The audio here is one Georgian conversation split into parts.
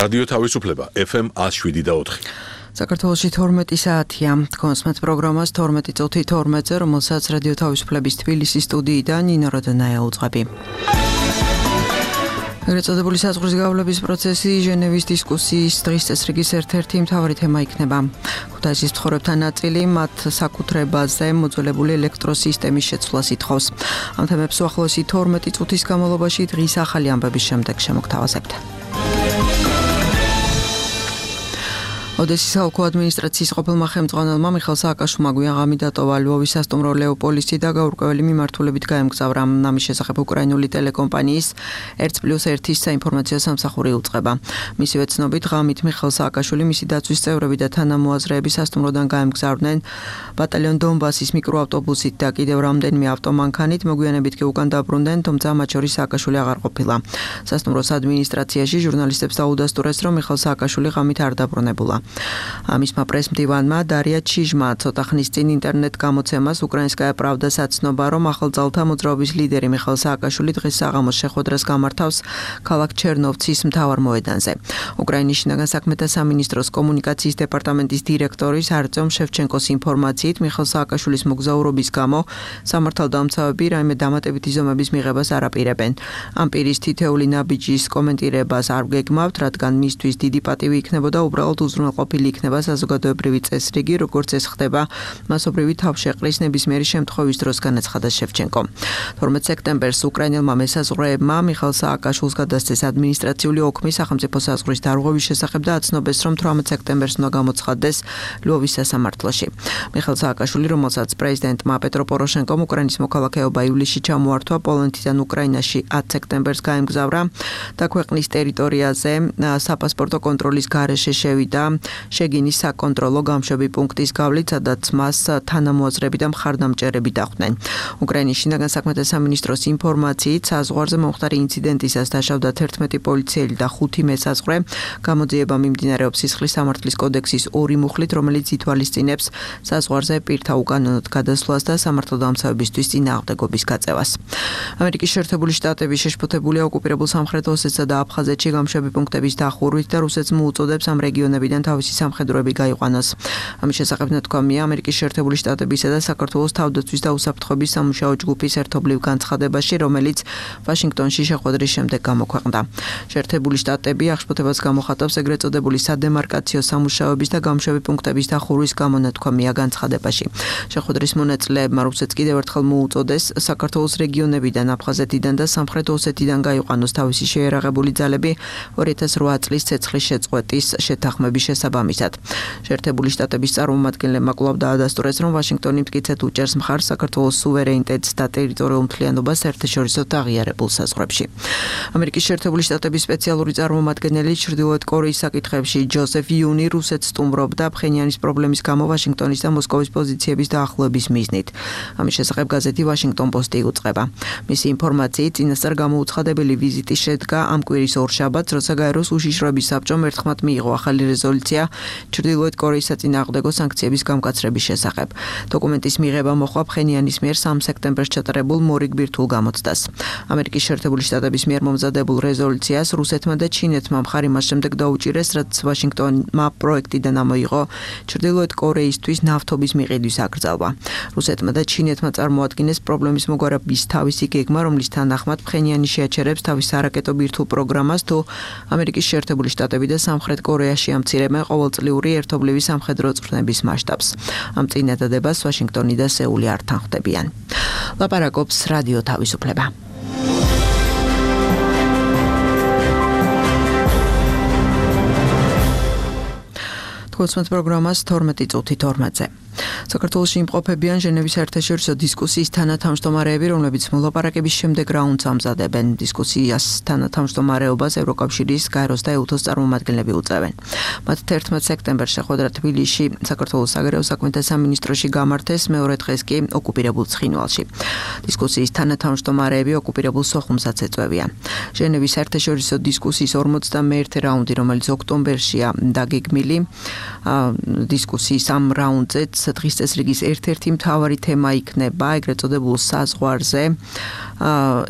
რადიო თავისუფლება FM 107.4. საქართველოში 12 საათია. კონსმეთ პროგრამას 12 წუთი 12-ზე, რომელსაც რადიო თავისუფლების თბილისის სტუდიიდან ნინო როდანაია უძღვები. ეგრეთ წოდებული საზღვრის გავლების პროცესი ჟენევის დისკუსიის დღის წესრიგის ერთ-ერთი მთავარი თემა იქნება. ქუთაისის მცხოვრებთა ნაწილი მათ საკუთრებაზე მოძველებული ელექტროსისტემის შეცვლას ითხოვს. ამ თემებს უახლოესი 12 წუთის განმავლობაში დღის ახალი ამბების შემდეგ შემოგთავაზებთ. ოდესის საოლქო ადმინისტრაციის ყოფილმა ხელმძღვანელმა მიხეილ სააკაშვილმა გვიაღამი დატოვა ლვოვის სასტუმრო ლეოპოლისი და გაურკვეველი მიმართულებით გაემგზავრა. ამის შესახებ უკრაინული ტელეკომპანიის 1+1-ის საინფორმაციო სამსახური უწყება. მისივე ცნობით, ღამით მიხეილ სააკაშვილი, მისი დაცვის წევრები და თანამოაზრეები სასტუმროდან გაემგზავრნენ ბატალიონ დონბასის მიკროავტობუსით და კიდევ რამდენიმე ავტომანქანით, მოგვიანებით კი უკან დაბრუნდნენ, თუმცა მათ შორის სააკაშვილი აღარ ყოფილა. სასტუმროს ადმინისტრაციაში ჟურნალისტებს დაუდასტურეს, რომ მიხეილ სააკაშვილი ღამით არ დაბრუნებულა. მისმა პრესმდივანმა დარია ჩიჟმა ცოტა ხნის წინ ინტერნეტ გამოცემას უკრაინსკაია პრავდას აცნობა, რომ ახალძალთა მოძრაობის ლიდერი მიხეილ სააკაშვილი დღეს საღამოს შეხვედრას გამართავს ქალაქ ჩერნოვცის მთავარ მოედანზე. უკრაინის შინაგან საქმეთა სამინისტროს კომუნიკაციის დეპარტამენტის დირექტორის არტემ შევჩენკოს ინფორმაციით, მიხეილ სააკაშვილის მოგზაურობის გამო სამართალდამცავები რაიმე დამატებითი ზომების მიღებას არ აპირებენ. ამ პირის თითეული ნაბიჯის კომენტირებას არ გეგმავთ, რადგან მისთვის დიდი პატივი იქნებოდა უბრალოდ ყოფილი იქნება საზოგადოებრივი წესრიგი, როგორც ეს ხდება მასობრივი თავშეყრის ნებისმიერი შემთხვევის დროს, განაცხადა შევჩენკო. 12 სექტემბერს უკრაინელმა მესაზღვრეებმა მიხეილ სააკაშვილს გადასცეს ადმინისტრაციული ოქმი სახელმწიფო საზღვრის დარღვევის შესახებ და აცნობეს, რომ 18 სექტემბერს უნდა გამოცხადდეს ლვოვის სასამართლოში. მიხეილ სააკაშვილი, რომელსაც პრეზიდენტმა პეტრო პოროშენკომ უკრაინის მოქალაქეობა ივლისში ჩამოართვა, პოლონეთიდან უკრაინაში 10 სექტემბერს გაემგზავრა და ქვეყნის ტერიტორიაზე საპასპორტო კონტროლის გარეშე შევიდა შეგინის საკონტროლო გამშვები პუნქტის გავლით, სადაც მას თანამოაზრები და მხარდამჭერები დახვდნენ. უკრაინის შინაგან საქმეთა სამინისტროს ინფორმაციით, საზღვარზე მომხდარი ინციდენტისას დაშავდა 11 პოლიციელი და 5 მესაზღვრე. გამოძიება მიმდინარეობს სისხლის სამართლის კოდექსის 2 მუხლით, რომელიც ითვალისწინებს საზღვარზე პირთა უკანონოდ გადასვლას და სამართალდამცავებისთვის წინააღმდეგობის გაწევას. ამერიკის შეერთებული შტატები შეშფოთებულია ოკუპირებულ სამხრეთ ოსეთსა და აფხაზეთში გამშვები პუნქტების დახურვით და რუსეთს მოუწოდებს ამ რეგიონებიდან თავისი სამხედროები გაიყვანოს. ამის შესახებ ნათქვამია ამერიკის შეერთებული შტატებისა და საქართველოს თავდაცვის და უსაფრთხოების სამუშაო ჯგუფის ერთობლივ განცხადებაში, რომელიც ვაშინგტონში შეხვედრის შემდეგ გამოქვეყნდა. შეერთებული შტატები აღშფოთებას გამოხატავს ეგრეთ წოდებული სადემარკაციო სამუშაოების და გამშვები პუნქტების დახურვის გამო, ნათქვამია განცხადებაში. შეხვედრის მონაწილეებმა რუსეთს კიდევ ერთხელ მოუწოდეს საქართველოს რეგიონებიდან, აფხაზეთიდან და სამხრეთ ოსეთიდან გაიყვანოს თავისი შეიარაღებული ძალები 2008 წლის ცეცხლის შეწყვეტის შეთანხმების შესაბამისად. შეერთებული შტატების წარმომადგენლებმა კვლავ დაადასტურეს, რომ ვაშინგტონი მტკიცედ უჭერს მხარს საქართველოს სუვერენიტეტს და ტერიტორიულ მთლიანობას საერთაშორისო აღიარებულ საზღვრებში. ამერიკის შეერთებული შტატების სპეციალური წარმომადგენელი ჩრდილოეთ კორეის საკითხებში ჯოზეფ იუნი რუსეთს სტუმრობდა ფხენიანის პრობლემის გამო ვაშინგტონის და მოსკოვის პოზიციების დაახლოების მიზნით. ამის შესახებ გაზეთი ვაშინგტონ პოსტი იუწყება. მისი ინფორმაციით, წინასწარ გამოუცხადებელი ვიზიტი შედგა ამ კვირის ორშაბათს, როცა გაეროს უშიშროების საბჭომ ერთხმად მიიღო ახალი რეზოლუცია ჩრდილოეთ კორეის საწინააღმდეგო სანქციების გამკაცრების შესახებ. დოკუმენტის მიღება მოხდა ფხენიანის მიერ 3 სექტემბერს ჩატარებულ მორიგბირთულ გამოცდას. ამერიკის შეერთებული შტატების მიერ მომზადებულ რეზოლუციას რუსეთმა და ჩინეთმა მხარი მას შემდეგ დაუჭირეს, რაც ვაშინგტონმა პროექტიდან ამოიღო ჩრდილოეთ კორეისთვის ნავთობის მიყიდვის აკრძალვა. რუსეთმა და ჩინეთმა წარმოადგინეს პრობლემის მოგვარების თავისი გეგმა, რომლის თანახმად ფხენიანი შეაჩერებს თავის არაკეტო ბირთვულ პროგრამას, თუ ამერიკის შეერთებული შტატები და სამხრეთ კორეაში ამცირებენ ყოველწლიური ერთობლივი სამხედრო წვრთნების მასშტაბს. ამ წინადადებას ვაშინგტონი და სეული არ თანხმდებიან. ლაპარაკობს რადიო თავისუფლება. კონსმეთ პროგრამას 12 წუთი 12-ზე. საქართველოში იმყოფებიან ჟენევის საერთაშორისო დისკუსიის თანათავმჯდომარეები, რომლებიც მოლაპარაკების შემდეგ რაუნდს ამზადებენ. დისკუსიას თანათავმჯდომარეობას ევროკავშირის, გაეროს და ეუთოს წარმომადგენლები უწევენ. მათ 11 სექტემბერს შეხვედრა თბილისში საქართველოს საგარეო საქმეთა სამინისტროში გამართეს, მეორე დღეს კი ოკუპირებულ ცხინვალში. დისკუსიის თანათავმჯდომარეები ოკუპირებულ სოხუმსაც ეწევიან. ჟენევის საერთაშორისო დისკუსიის 51 რაუნდი, რომელიც ოქტომბერშია დაგეგმილი, დისკუსიის ამ რაუნდზეც დღის წესრიგის ერთ-ერთი მთავარი თემა იქნება ეგრეთ წოდებულ საზღვარზე,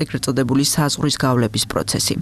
ეგრეთ წოდებული საზღვრის გავლების პროცესი.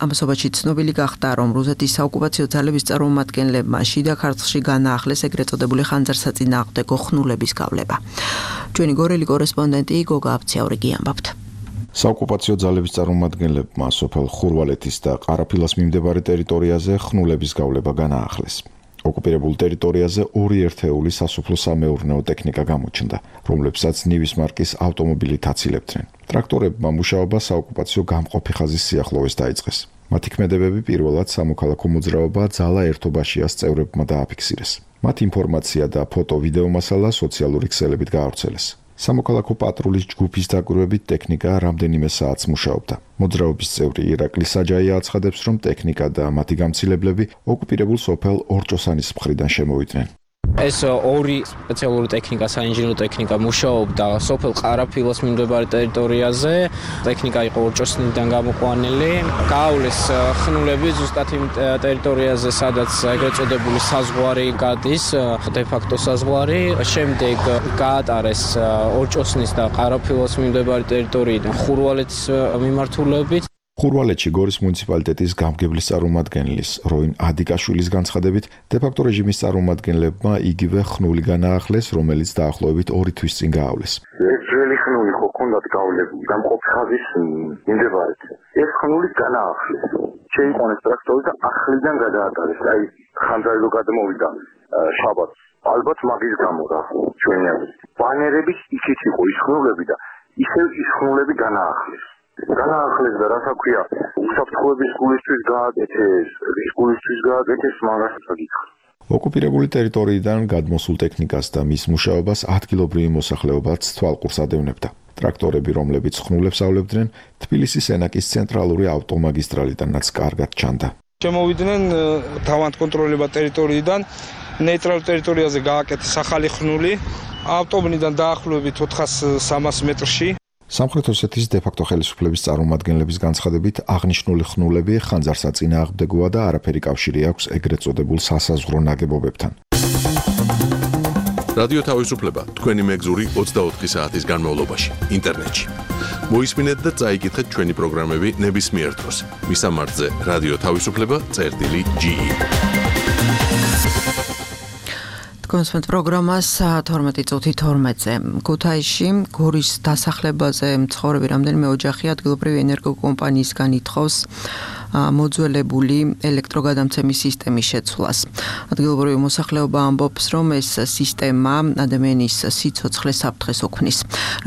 ამასობაში ცნობილი გახდა, რომ რუსეთის საოკუპაციო ძალების წარმომადგენლებმა შიდა ქართლში განაახლეს ეგრეთ წოდებული ხანძარსაწინააღმდეგო ხნულების გავლება. ჩვენი გორელი კორესპონდენტი გოგა აბციაურიგი ამბობთ. საოკუპაციო ძალების წარმომადგენლებმა სოფელ ხურვალეთის და ყარაფილას მიმდებარე ტერიტორიაზე ხნულების გავლება განაახლეს. ოკუპირებულ ტერიტორიაზე 2 ერთეული სასოფლო-სამეურნეო ტექნიკა გამოჩნდა, რომლებსაც ნივის მარკის ავტომობილით აცილებდნენ. ტრაქტორებმა მუშაობა საოკუპაციო გამყოფი ხაზის სიახლოვეს დაიწყეს. მათი ქმედებები პირველად სამოქალაქო მოძრაობა ძალა ერთობაშიას წევრებმა დააფიქსირეს. მათ ინფორმაცია და ფოტო-ვიდეო მასალა სოციალური ქსელებით გაავრცელეს. სამოქალაქო პატრულის ჯგუფის დაკვირვებით ტექნიკა რამდენიმე საათს მუშაობდა. მოძრაობის წევრი ირაკლი საჯაია აცხადებს, რომ ტექნიკა და მათი გამცილებლები ოკუპირებულ სოფელ ორჭოსანის მხრიდან შემოვიდნენ. ეს 2 სპეციალური ტექნიკა, საინჟინრო ტექნიკა მუშაობდა სოფელ ყარაფილას მიმდებარე ტერიტორიაზე. ტექნიკა იყო ორჭოსნიდან გამოყვანილი. გაავლეს ხნულები ზუსტად იმ ტერიტორიაზე, სადაც ეგრეთ წოდებული საზღვარი გადის, დე-ფაქტო საზღვარი. შემდეგ გაატარეს ორჭოსნის და ყარაფილას მიმდებარე ტერიტორიიდან ხურვალეთის მიმართულებით. ხურვალეთში გორის მუნიციპალიტეტის გამგებლის წარმომადგენლის როინ ადიკაშვილის განცხადებით, დე-ფაქტო რეჟიმის წარმომადგენლებმა იგივე ხნული განაახლეს, რომელიც დაახლოებით 2 თვის წინ გაავლეს. ეს ძველი ხნული ხო ქონდათ გავლები გამყოფი ხაზის მიმდებარედ. ეს ხნული განაახლეს. შეიყვანეს ტრაქტორი და ახლიდან გადაატარეს. აი ხანძარი რო გადმოვიდა შაბათს. ალბათ მაგის გამო რა ჩვენი აზრით. ბანერები იქით იყო ის ხნულები და ისევ ის ხნულები განაახლეს. განაახლეს და რასაც ქვია, უსაფრთხოების გულისთვის გააკეთეს, რის გულისთვის გააკეთეს, მაგასაც გითხრა. ოკუპირებული ტერიტორიიდან გადმოსულ ტექნიკას და მის მუშაობას ადგილობრივი მოსახლეობაც თვალყურს ადევნებდა. ტრაქტორები, რომლებიც ხნულებს ავლებდნენ, თბილისის ენაკის ცენტრალური ავტომაგისტრალიდანაც კარგად ჩანდა. შემოვიდნენ თავანტკონტროლებად ტერიტორიიდან, ნეიტრალურ ტერიტორიაზე გააკეთეს ახალი ხნული, ავტობნიდან დაახლოებით 400-300 მეტრში. სამხრეთ ოსეთის დე-ფაქტო ხელისუფლების წარმომადგენლების განცხადებით, აღნიშნული ხნულები ხანძარსაწინააღმდეგოა და არაფერი კავშირი აქვს ეგრეთ წოდებულ სასაზღვრო ნაგებობებთან. რადიო თავისუფლება თქვენი მეგზური 24 საათის განმავლობაში ინტერნეტში. მოისმინეთ და წაიკითხეთ ჩვენი პროგრამები ნებისმიერ დროს. მისამართზე რადიო თავისუფლება.ge. კონსპект პროგრამას 12:12-ზე ქუთაისში გორის დასახლებაზე მცხოვრები რამდენიმე ოჯახი ადგილობრივი ენერგოკომპანიისგან ითხოვს მოძველებული ელექტროგადამცემის სისტემის შეცვლას. ადგილობრივი მოსახლეობა ამბობს, რომ ეს სისტემა ადამიანის სიცოცხლეს საფრთხეს უქმნის.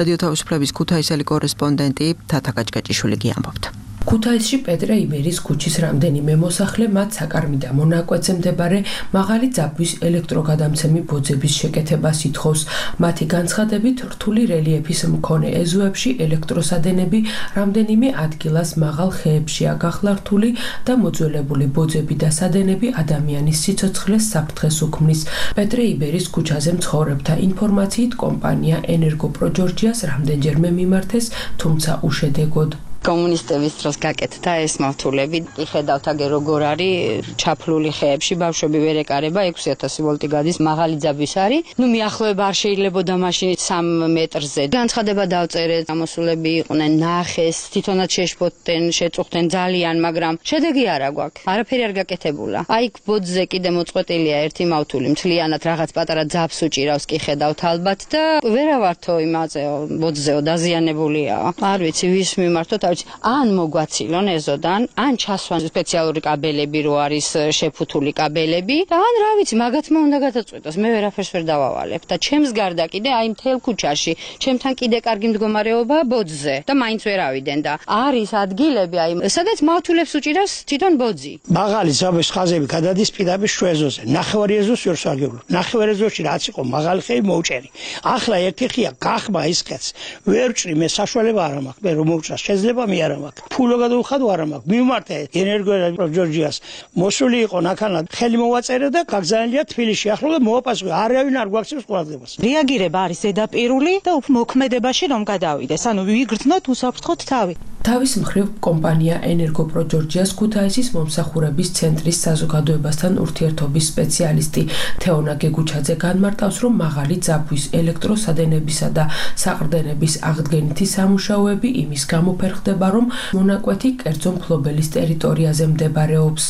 რადიო თავისუფლების ქუთაისელი კორესპონდენტი თათა კაჭკაჭიშვილი ამბობთ. ქუთაისში პეტრე იბერის ქუჩის რამდენიმე მოსახლე მათ საკარმიდა მონაკვეთზე მდებარე მაღალი ძაბვის ელექტროგადამცემი ბოძების შეკეთებას ითხოვს. მათი განცხადებით, რთული რელიეფის მქონე ეზოებში ელექტროსადენები რამდენიმე ადგილას მაღალ ხეებშია გახლართული და მოძველებული ბოძები და სადენები ადამიანის სიცოცხლეს საფრთხეს უქმნის. პეტრე იბერის ქუჩაზე მცხოვრებთა ინფორმაციით კომპანია ენერგოპრო ჯორჯიას რამდენჯერმე მიმართეს, თუმცა უშედეგოდ. კომუნისტების დროს გაკეთდა ეს მავთულები. იხედავთ აგერ როგორ არის ჩაფლული ხეებში, ბავშვები ვერ ეკარება, 6000 ვოლტი გადის, მაღალი ძაბვის არის. მიახლოება არ შეიძლებოდა მაშინ 3 მეტრზე. განცხადება დავწერეთ, გამოსულები იყვნენ, ნახეს, თვითონაც შეშფოთდნენ, შეწუხდნენ ძალიან, მაგრამ შედეგი არა გვაქვს. არაფერი არ გაკეთებულა. აი ბოძზე კიდე მოწყვეტილია ერთი მავთული, მთლიანად რაღაც პატარა ძაბს უჭირავს, კი ხედავთ ალბათ და ვერავართო იმაზეო, ბოძზეო დაზიანებულია. არ ვიცი ვის მიმართოთ, ან მოგვაცილონ ეზოდან, ან ჩასვან სპეციალური კაბელები რო არის შეფუთული კაბელები და ან რა ვიცი, მაგათმა უნდა გადაწყვიტოს. მე ვერაფერს ვერ დავავალებ და ჩემს გარდა კიდე აი მთელ ქუჩაში, ჩემთან კიდე კარგი მდგომარეობა ბოძზე და მაინც ვერ ავიდენ და არის ადგილები აი სადაც მავთულებს უჭირავს თვითონ ბოძი. მაღალი ძაბვის ხაზები გადადის პირდაპირ შვეზოზე. ნახევარი ეზოს ვერ სარგებლობ. ნახევარი ეზოში რაც იყო მაღალი ხეი მოუჭერი. ახლა ერთი ხია გახმა ის ხეთს. ვერ ვჭრი მე საშუალება არ მაქვს. მე რომ მოვჭრა შეიძლება მე არ მაქვს. ფულო გადავხადო არ მაქვს. მიმართე ენერგოპრო ჯორჯიას. მოსული იყო ნახანად. ხელი მოვაწერე და გაგზავნილია თბილისში. ახლა და მოვაპასუხე. არავინ არ გვაქცევს ყურადღებას. რეაგირება არის ზედაპირული და მოქმედებაში რომ გადავიდეს. ანუ ვიგრძნოთ უსაფრთხოდ თავი. თავის მხრივ კომპანია ენერგოპრო ჯორჯიას ქუთაისის მომსახურების ცენტრის საზოგადოებასთან ურთიერთობის სპეციალისტი თეონა გეგუჩაძე განმარტავს, რომ მაღალი ძაბვის ელექტროსადენებისა და საყრდენების აღდგენითი სამუშაოები იმის გამო ფერხდება, რომ მონაკვეთი კერძო მფლობელის ტერიტორიაზე მდებარეობს.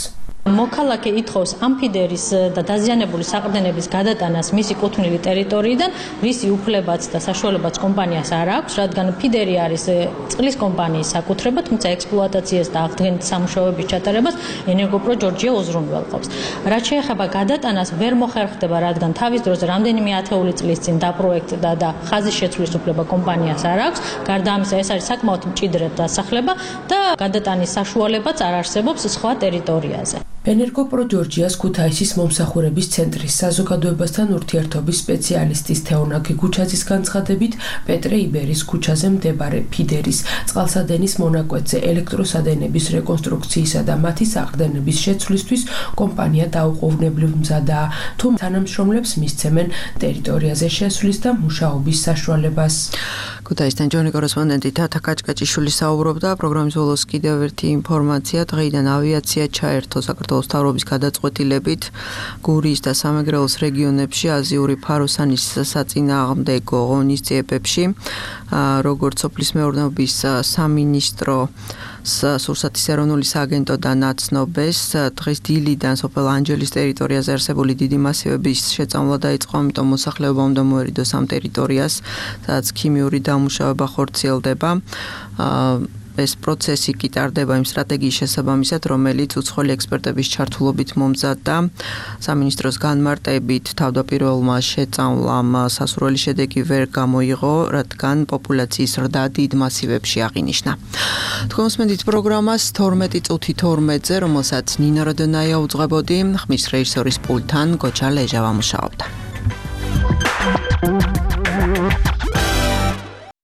მოქალაქე ითხოვს ამფიდერის და დაზიანებული საყრდენების გადატანას მისი კუთვნილი ტერიტორიიდან, რისი უფლებაც და საშუალებაც კომპანიას არ აქვს, რადგან ფიდერი არის წყლის კომპანიის საკუთრება, თუმცა ექსპლუატაციას და აღდგენით სამუშაოების ჩატარებას ენერგოპრო ჯორჯია უზრუნველყოფს. რაც შეეხება გადატანას, ვერ მოხერხდება, რადგან თავის დროზე რამდენიმე ათეული წლის წინ დაპროექტდა და ხაზის შეცვლის უფლება კომპანიას არ აქვს. გარდა ამისა, ეს არის საკმაოდ მჭიდროდ დასახლება და გადატანის საშუალებაც არ არსებობს სხვა ტერიტორიაზე. ენერგოპრო ჯორჯიას ქუთაისის მომსახურების ცენტრის საზოგადოებასთან ურთიერთობის სპეციალისტის თეონა გეგუჩაძის განცხადებით, პეტრე იბერის ქუჩაზე მდებარე ფიდერის წყალსადენის მონაკვეთზე ელექტროსადენების რეკონსტრუქციისა და მათი საყრდენების შეცვლისთვის კომპანია დაუყოვნებლივ მზადაა, თუ თანამშრომლებს მისცემენ ტერიტორიაზე შესვლის და მუშაობის საშუალებას. ქუთაისთან ჯონი კორესპონდენტი თათა კაჭკაჭიშვილი საუბრობდა. პროგრამის ბოლოს კიდევ ერთი ინფორმაცია, დღეიდან ავიაცია ჩაერთო საქართველოს მთავრობის გადაწყვეტილებით გურიის და სამეგრელოს რეგიონებში აზიური ფაროსანის საწინააღმდეგო ღონისძიებებში, როგორც სოფლის მეურნეობის სამინისტრო სურსათის ეროვნული სააგენტო და ნაცნობეს, დღეს დილიდან სოფელ ანჯელის ტერიტორიაზე არსებული დიდი მასივების შეწამვლა დაიწყო, ამიტომ მოსახლეობა უნდა მოერიდოს ამ ტერიტორიას, სადაც ქიმიური დამუშავება ხორციელდება. ეს პროცესი კი ტარდება იმ სტრატეგიის შესაბამისად, რომელიც უცხოელი ექსპერტების ჩართულობით მომზადდა. სამინისტროს განმარტებით თავდაპირველმა შეწამვლამ სასურველი შედეგი ვერ გამოიღო, რადგან პოპულაციის ზრდა დიდ მასივებში აღინიშნა. თქვენ მოსმენთ პროგრამას 12:12-ზე, რომელსაც ნინა როდონაია უძღვებოდი, ხმის რეჟისორის პულტთან გოჩა ლეჟავა მუშაობდა.